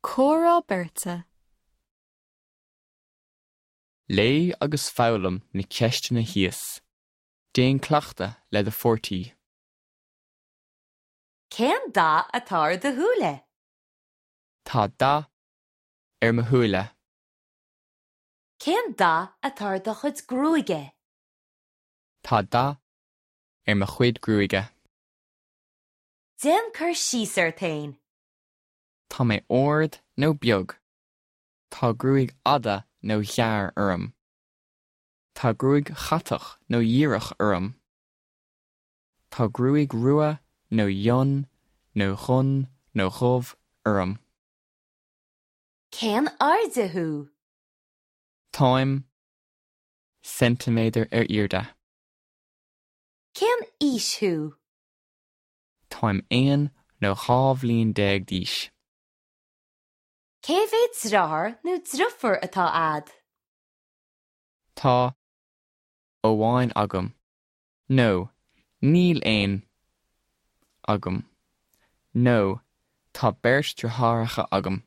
Comhrá beirte. Léigh agus foghlaim na ceisteanna thíos. Déan cleachtadh le do pháirtí. Cén dath atá ar do shúile? Tá dath ar mo shúile. Cén dath atá ar do chuid gruaige? Tá dath ar mo chuid gruaige. Déan cur síos ort féin. Tá mé ard nó beag. Tá gruaig fhada nó ghearr orm. Tá gruaig chatach nó dhíreach orm. Tá gruaig rua nó fhionn nó dhonn nó dhubh orm. Cén airde thú? Táim ceintiméadar ar airde. Cén aois thú? Táim 11 nó 12 bhliain d'aois. Cé mhéad deartháir nó deirfiúr atá a'd? Tá amháin agam. Nó níl aon agam. Nó tá beirt deartháireacha agam.